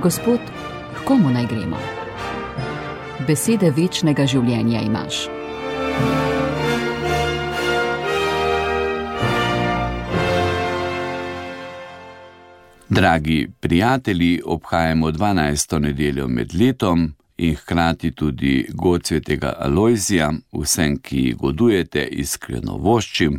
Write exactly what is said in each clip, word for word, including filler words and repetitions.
Gospod, h komu naj gremo? Besede večnega življenja imaš. Dragi prijatelji, obhajamo dvanajsto nedeljo med letom in hkrati tudi god svetega Alojzija. Vsem, ki godujete, iskreno voščim.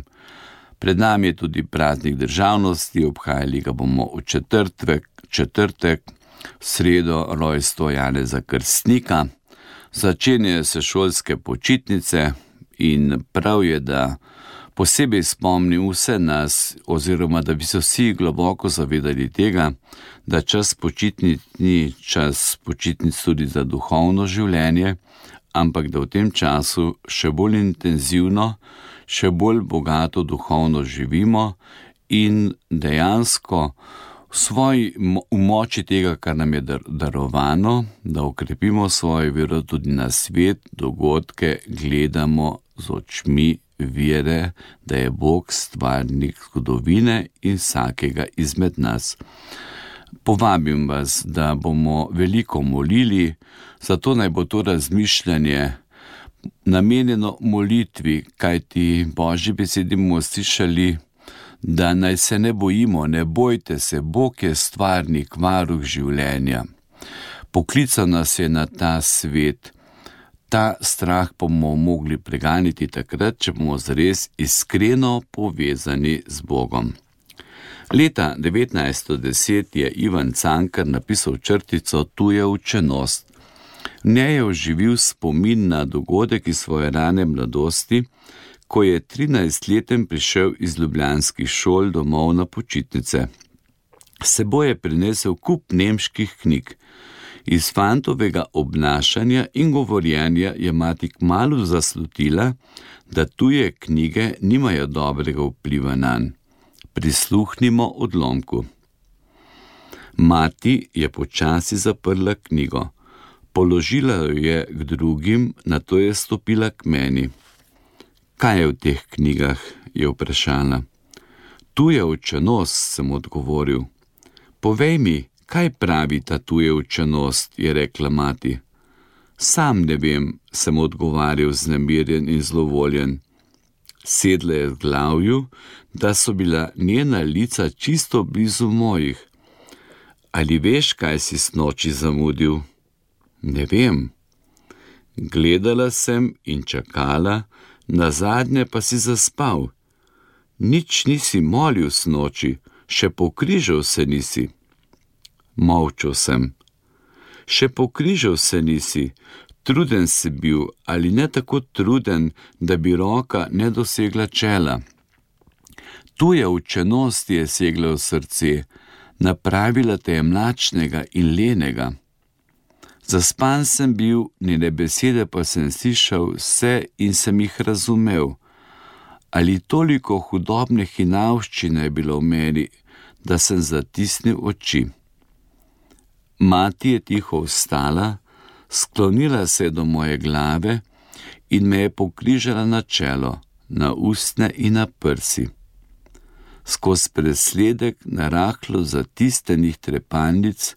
Pred nami je tudi praznik državnosti, obhajali ga bomo v četrtek, četrtek, v sredo rojstvo Janeza Krstnika. Začenjajo se šolske počitnice in prav je, da posebej spomnim vse nas, oziroma da bi se vsi globoko zavedali tega, da čas počitnic ni čas počitnic tudi za duhovno življenje, ampak da v tem času še bolj intenzivno, še bolj bogato duhovno živimo in dejansko v svoji v moči tega, kar nam je darovano, da okrepimo svojo vero tudi na svet, dogodke gledamo z očmi vere, da je Bog stvarnik zgodovine in vsakega izmed nas. Povabim vas, da bomo veliko molili, zato naj bo to razmišljanje namenjeno molitvi, kajti Božji besedi bomo slišali, da naj se ne bojimo, ne bojte se, Bog je stvarnik, varuh življenja. Poklical nas je na ta svet. Ta strah bomo mogli preganiti takrat, če bomo zares iskreno povezani z Bogom. Leta devetnajststo deset je Ivan Cankar napisal črtico Tuja učenost. V njej je oživil spomin na dogodek iz svoje rane mladosti, ko je trinajstleten prišel iz ljubljanskih šol domov na počitnice. S seboj je prinesel kup nemških knjig. Iz fantovega obnašanja in govorjenja je mati kmalu zaslutila, da tuje knjige nimajo dobrega vpliva nanj. Prisluhnimo odlomku. Mati je počasi zaprla knjigo. Položila jo je k drugim, nato je stopila k meni. Kaj je v teh knjigah, je vprašala. Tuja učenost, sem odgovoril. Povej mi, kaj pravi ta tuja učenost, je rekla mati. Sam ne vem, sem odgovarjal znemirjen in zlovoljen. Sedla je v glavju, da so bila njena lica čisto blizu mojih. Ali veš, kaj si snoči zamudil? Ne vem. Gledala sem in čakala, nazadnje pa si zaspal. Nič nisi molil snoči, še pokrižal se nisi. Molčal sem. Še pokrižal se nisi, truden si bil, ali ne tako truden, da bi roka ne dosegla čela. Tuja učenost je segla v srce, napravila te je mlačnega in lenega. Zaspan sem bil, njene besede pa sem slišal vse in sem jih razumel. Ali toliko hudobne hinavščine je bilo v meni, da sem zatisnil oči. Mati je tiho vstala, sklonila se do moje glave in me je pokrižala na čelo, na ustne in na prsi. Skozi presledek narahlo zatisnjenih trepalnic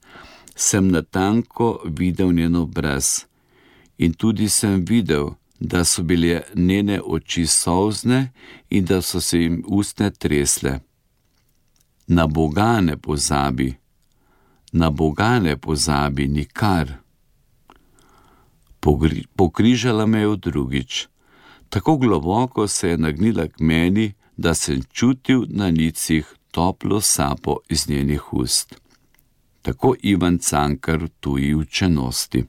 sem natanko videl njen obraz in tudi sem videl, da so bile njene oči solzne in da so se jim ustne tresle. Na Boga ne pozabi, na Boga ne pozabi nikar. Pogri, pokrižala me je drugič. Tako globoko se je nagnila k meni, da sem čutil na licih toplo sapo iz njenih ust. Tako Ivan Cankar v tuji učenosti.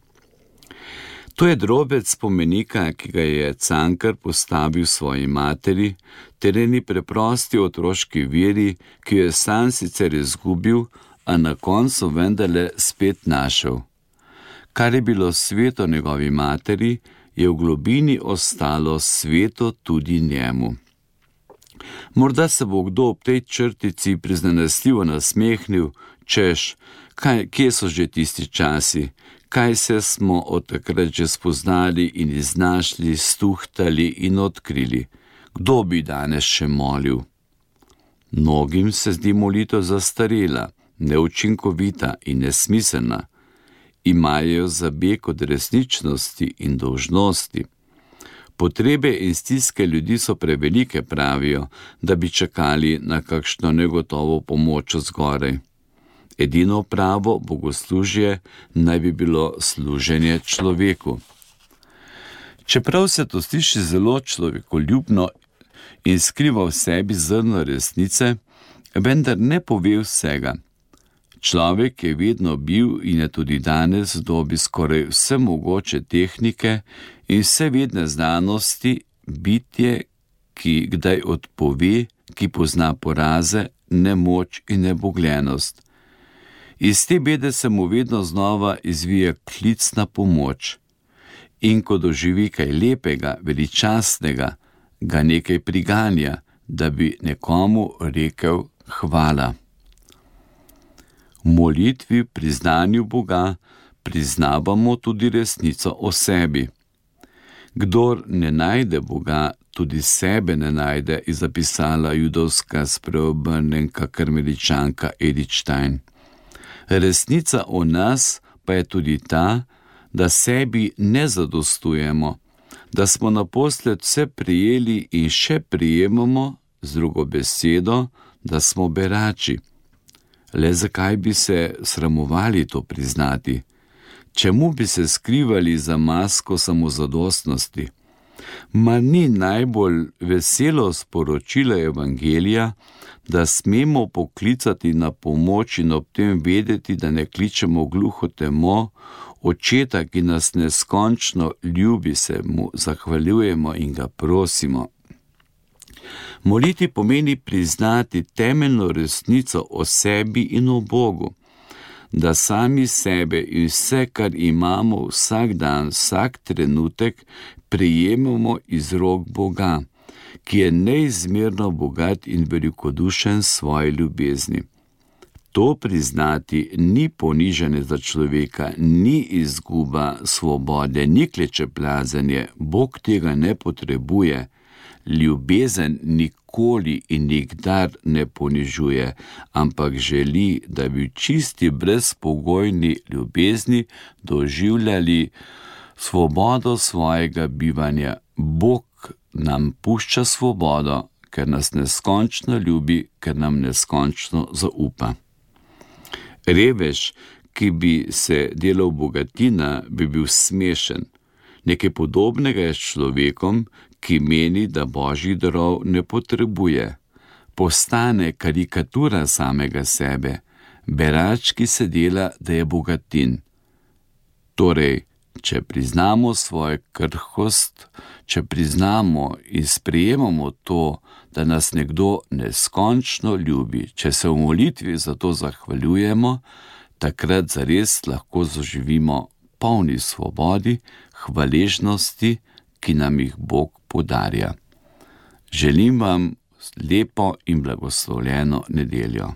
To je drobec spomenika, ki ga je Cankar postavil svoji materi, ter eni preprosti otroški veri, ki jo je sam sicer izgubil, a na koncu vendarle spet našel. Kar je bilo sveto njegovi materi, je v globini ostalo sveto tudi njemu. Morda se bo kdo ob tej črtici prizanesljivo nasmehnil, češ, kaj, kje so že tisti časi, kaj se smo od takrat že spoznali in iznašli, stuhtali in odkrili. Kdo bi danes še molil? Mnogim se zdi molitev zastarela, neučinkovita in nesmiselna, imajo zabeg od resničnosti in dolžnosti. Potrebe in stiske ljudi so prevelike, pravijo, da bi čakali na kakšno negotovo pomoč zgoraj. Edino pravo bogoslužje naj bi bilo služenje človeku. Čeprav se to sliši zelo človekoljubno in skriva v sebi zrno resnice, vendar ne pove vsega. Človek je vedno bil in je tudi danes v dobi skoraj vse mogoče tehnike in vse vedne znanosti bitje, ki kdaj odpove, ki pozna poraze, nemoč in nebogljenost. Iz te bede se mu vedno znova izvije klic na pomoč. In ko doživi kaj lepega, veličastnega, ga nekaj priganja, da bi nekomu rekel hvala. V molitvi, priznanju Boga, priznavamo tudi resnico o sebi. Kdor ne najde Boga, tudi sebe ne najde, je zapisala judovska spreobrnenka karmeličanka Edith Stein. Resnica o nas pa je tudi ta, da sebi ne zadostujemo, da smo naposled vse prijeli in še prijemamo, z drugo besedo, da smo berači. Le zakaj bi se sramovali to priznati? Čemu bi se skrivali za masko samozadostnosti? Ma ni najbolj veselo sporočilo Evangelija, da smemo poklicati na pomoč in ob tem vedeti, da ne kličemo gluho temo, Očeta, ki nas neskončno ljubi, se mu zahvaljujemo in ga prosimo. Moliti pomeni priznati temeljno resnico o sebi in o Bogu, da sami sebe in vse, kar imamo vsak dan, vsak trenutek, prejemamo iz rok Boga, ki je neizmerno bogat in velikodušen svoji ljubezni. To priznati ni ponižanje za človeka, ni izguba svobode, ni klečeplazenje, Bog tega ne potrebuje. Ljubezen nikoli in nikdar ne ponižuje, ampak želi, da bi čisti brezpogojni ljubezni doživljali svobodo svojega bivanja. Bog nam pušča svobodo, ker nas neskončno ljubi, ker nam neskončno zaupa. Revež, ki bi se delal bogatina, bi bil smešen. Nekaj podobnega je s človekom, ki meni, da božjih darov ne potrebuje. Postane karikatura samega sebe, berač, ki se dela, da je bogatin. Torej, če priznamo svojo krhkost, če priznamo in sprejemamo to, da nas nekdo neskončno ljubi, če se v molitvi za to zahvaljujemo, takrat zares lahko zaživimo polni svobodi, hvaležnosti, ki nam jih Bog podarja. Želim vam lepo in blagoslovljeno nedeljo.